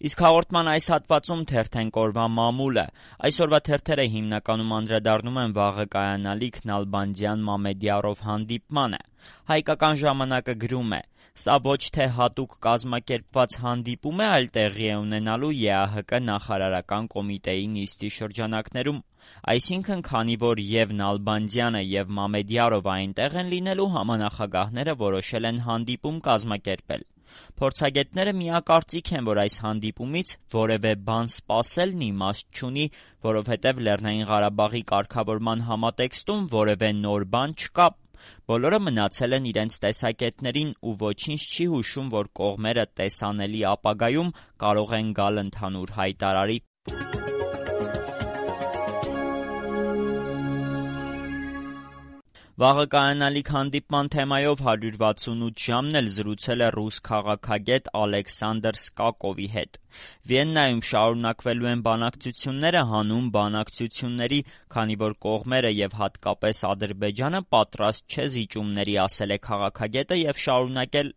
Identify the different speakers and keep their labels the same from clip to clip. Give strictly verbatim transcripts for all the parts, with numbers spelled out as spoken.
Speaker 1: Իսկ հաղորդման այս հատվածում թերթենք օրվա մամուլը։ Այսօրվա թերթերը հիմնականում անդրադառնում են վաղը կայանալիք Նալբանդյան Մամեդյարով հանդիպմանը։ Հայկական ժամանակը գրում է. «Սա ոչ թե հատուկ կազմակերպված հանդիպում է, այլ տեղի է ունենալու ԵԱՀԿ նախարարական կոմիտեի նիստի շրջանակներում։ Այսինքն, քանի որ եւ Նալբանդյանը եւ Մամեդյարով այնտեղ են լինելու, համանախագահները որոշել են հանդիպում կազմակերպել։ Փորձագետները միակարծիք են, որ այս հանդիպումից որևէ բան սպասելն իմաստ չունի, որովհետև Լեռնային Ղարաբաղի կարգավորման համատեքստում որևէ նոր բան չկա։ Բոլորը մնացել են իրենց տեսակետներին ու ոչինչ չի հուշում, որ կողմերը տեսանելի ապագայում կարող են գալ ընդհանուր հայտարարի»։ Վաղը կայանալիք հանդիպման թեմայով հարյուր վաթսունութ ժամն էլ զրուցել է ռուս քաղաքագետ Ալեքսանդր Սկակովի հետ։ Վիեննայում շարունակվելու են բանակցությունները հանուն բանակցությունների, քանի որ կողմերը եւ հատկապես Ադրբեջանը պատրաստ չէ զիջումների, ասել է քաղաքագետը եւ շարունակել.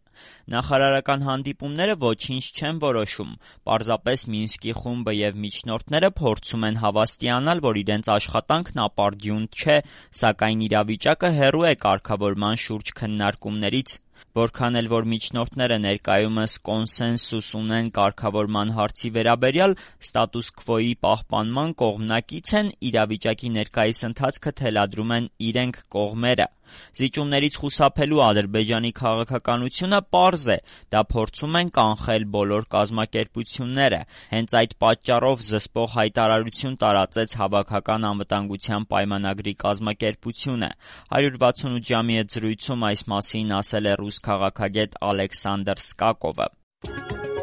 Speaker 1: «Նախարարական հանդիպումները ոչինչ չեն որոշում, պարզապես Մինսկի խումբը եւ միջնորդները փորձում են հավաստիանալ, որ իրենց աշխատանքն ապարդյուն չէ, սակայն իրավիճակը հեռու է կարգավորման շուրջ քննարկումներից։ Որքան էլ որ միջնորդները ներկայումս կոնսենսուս ունեն կարգավորման հարցի վերաբերյալ, ստատուս քվոյի պահպանման կողմնակից են, իրավիճակի ներկայիս ընթացքը թելադրում են իրենք կողմերը։ Զիջումներից խուսափելու Ադրբեջանի քաղաքականությունը պարզ է, դա փորձում են կանխել բոլոր կազմակերպությունները։ Հենց այդ պատճառով զսպող հայտարարություն տարածեց Հավաքական անվտանգության պայմանագրի կազմակերպությունը։ հարյուր վաթսունութ ժամի հետ զրույցում այս մասին ասել է ռուս քաղաքագետ Ալեքսանդր Սկակովը։